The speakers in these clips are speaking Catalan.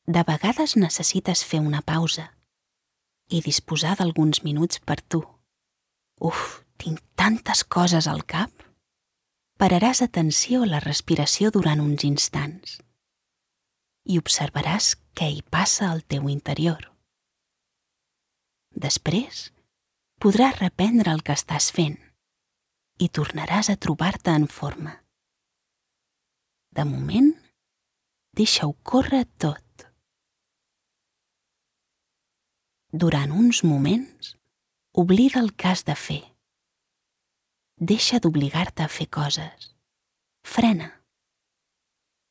De vegades necessites fer una pausa i disposar d'alguns minuts per tu. Uf, tinc tantes coses al cap. Pararàs atenció a la respiració durant uns instants i observaràs què hi passa al teu interior. Després, podràs reprendre el que estàs fent i tornaràs a trobar-te en forma. De moment, deixa-ho córrer tot. Durant uns moments, oblida el que has de fer. Deixa d'obligar-te a fer coses. Frena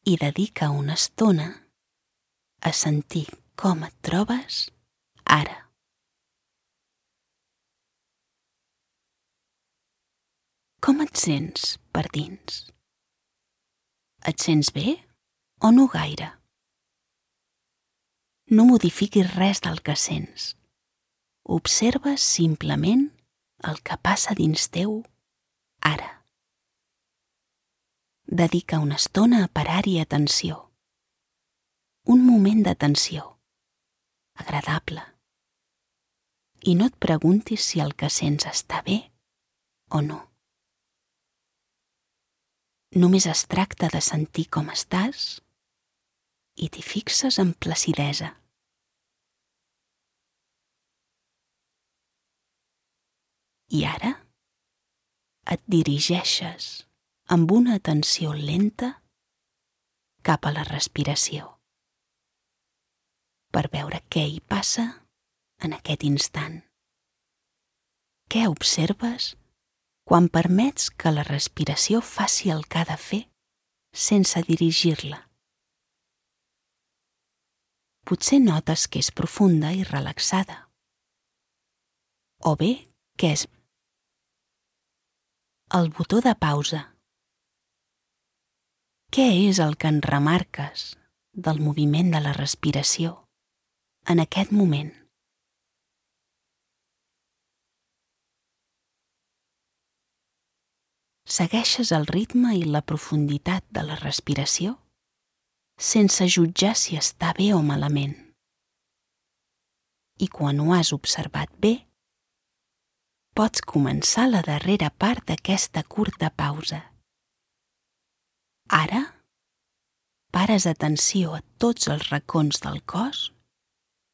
i dedica una estona a sentir com et trobes ara. Com et sents per dins? Et sents bé o no gaire? No modifiquis res del que sents. Observa simplement el que passa dins teu ara. Dedica una estona a parar-hi atenció. Un moment d'atenció, agradable. I no et preguntis si el que sents està bé o no. Només es tracta de sentir com estàs i t'hi fixes amb placidesa. I ara et dirigeixes amb una atenció lenta cap a la respiració per veure què hi passa en aquest instant. Què observes quan permets que la respiració faci el que ha de fer sense dirigir-la? Potser notes que és profunda i relaxada. O bé que és el botó de pausa. Què és el que en remarques del moviment de la respiració en aquest moment? Segueixes el ritme i la profunditat de la respiració sense jutjar si està bé o malament. I quan ho has observat bé, pots començar la darrera part d'aquesta curta pausa. Ara, pares atenció a tots els racons del cos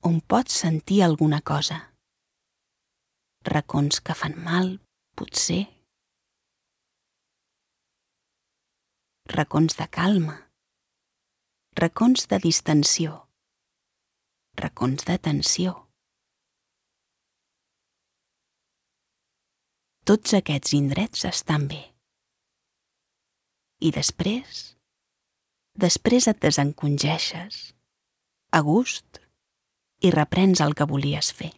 on pots sentir alguna cosa. Racons que fan mal, potser. Racons de calma. Racons de distensió. Racons de tensió. Tots aquests indrets estan bé. I després et desencongeixes, a gust, i reprens el que volies fer.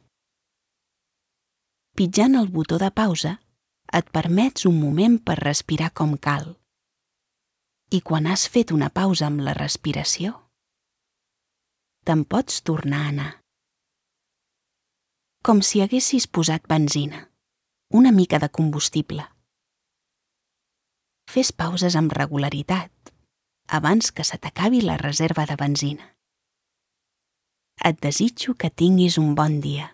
Pitjant el botó de pausa, et permets un moment per respirar com cal. I quan has fet una pausa amb la respiració, te'n pots tornar a anar. Com si haguessis posat benzina, una mica de combustible. Fes pauses amb regularitat, abans que se t'acabi la reserva de benzina. Et desitjo que tinguis un bon dia.